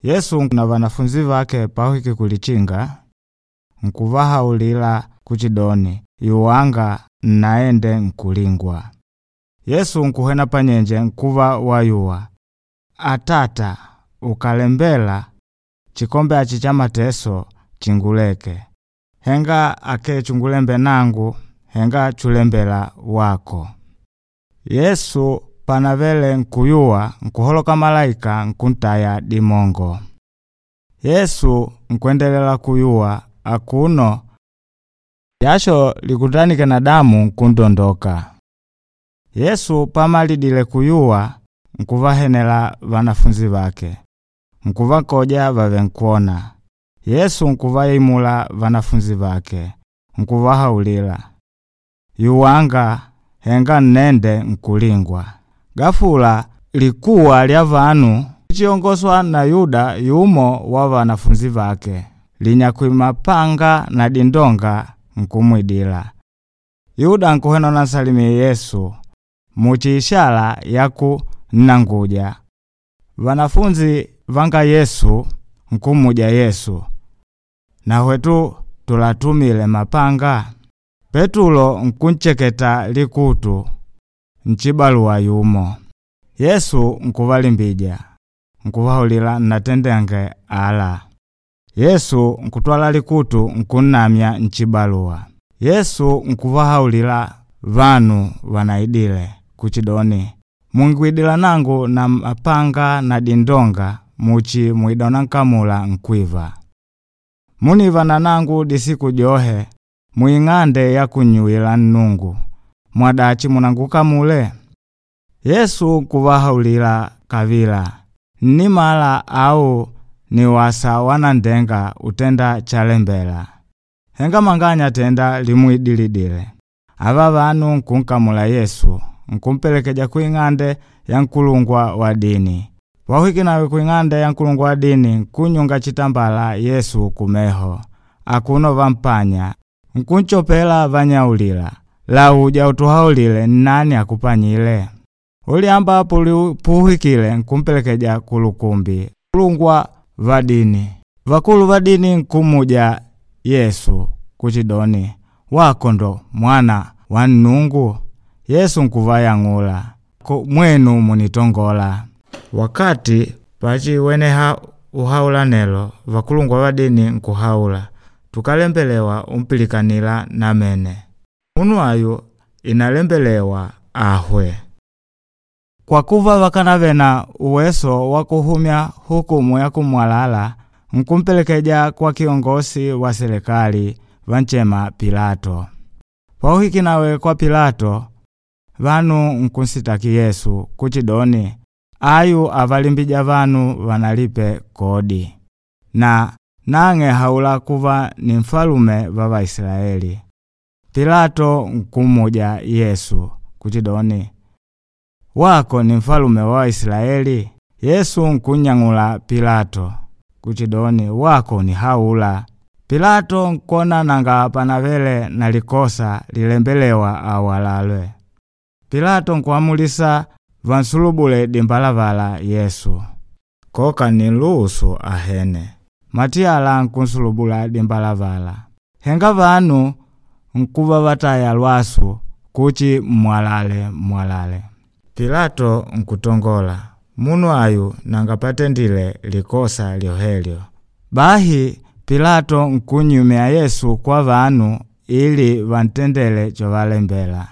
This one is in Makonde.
Yesu na vanafunzi vake pahwike kulichinga, nkuvahaulila kuchidoni, yuwanga nnaende nkulingwa. Yesu nkuhwena panyenje nkuva wayuwa, Atata, ukalembela chikombe achi cha mateso chinguleke. Henga ake chungulembe nangu, henga chulembela wako. Yesu panavele nkuyuwa, nkuholoka malaika nkuntaya dimongo. Yesu nkwendelela kuyuwa akuno jasho likutanike na damu nkundondoka. Yesu pamalidile kuyuwa, nkuvahenela vanafunzi vake, nkuvakoja vave nkuona. Yesu nkuvaimula vanafunzi vake, nkuvahaulila, yuwanga henga nnende nkulingwa. Gafula likuwa lya vanu lichiongoswa na Yuda yumo wa vanafunzi vake, linyakwi mapanga na dindonga nkumwidila. Yuda nkuhwena unansalimie Yesu muchi ishala yaku nnanguja. Vanafunzi vanga Yesu nkumuja Yesu, na hwetu tulatumile mapanga? Petulo nkuncheketa likutu nchibaluwa yumo. Yesu nkuvalimbija, nkuvahaulila nnatendenge ala. Yesu nkutwala likutu nkunnamya nchibaluwa. Yesu nkuvahaulila vanu vanaidile kuchidoni, mungwidila nangu na mapanga na dindonga muchi mwida nkamula nkwiva. Muniva na nangu disiku johe mwing'ande ya kunnyuwila Nnungu, mwadachi munangukamule? Yesu nkuvahaulila kavila, nnimala au ni wasa wanandenga utenda chalembela. Henga manganya tenda limwidilidile. Ava vanu nkunkamula Yesu, nkumpelekeja kuing'ande ya nkulungwa wa dini. Wahwike nawe kuing'ande ya nkulungwa wa dini, nkunyunga chitambala Yesu kumeho, akuno vampanya, nkunchopela vanyaulila, lauja utuhaulile nnani akupanyile. Uliamba puhwikile nkumpelekeja kulukumbi kulungwa va dini. Vakulu va dini nkumuja Yesu kuchidoni, wako ndo mwana wa Nnungu? Yesu nkuvayang'ula, mwenu munitongola. Wakati pachiweneha uhaula nelo, vakulungwa va dini nkuhaula, tukalembelewa umpilikanila namene. Munu ayu inalembelewa ahwe. Kwa kuva vakanave na uweso wa kuhumya hukumu ya kumwalala, nkumpelekeja kwa kiongosi wa serikali vanchema Pilato. Pauhiki nawe kwa Pilato, vanu nkunsitaki Yesu kuchidoni, ayu avalimbija vanu vanalipe kodi, na nang'e haula kuva ni mfalume va Vaisilaeli. Pilato nkumuja Yesu kuchidoni, wako ni mfalume wa Waisilaeli? Yesu nkunyang'ula Pilato kuchidoni, wako ni haula. Pilato nkona nanga panavele na likosa lilembelewa awalalwe. Pilato nkuamulisa vansulubule dimbalavala Yesu, koka niluhusu ahene. Matiyala nkunsulubula dimbalavala. Henga vanu nkuva vataya lwasu kuchi mwalale mwalale. Pilato nkutongola, munu ayu nanga patendile likosa lyohelyo. Bahi Pilato nkunyumya Yesu kwa vanu ili vantendele chovalembela.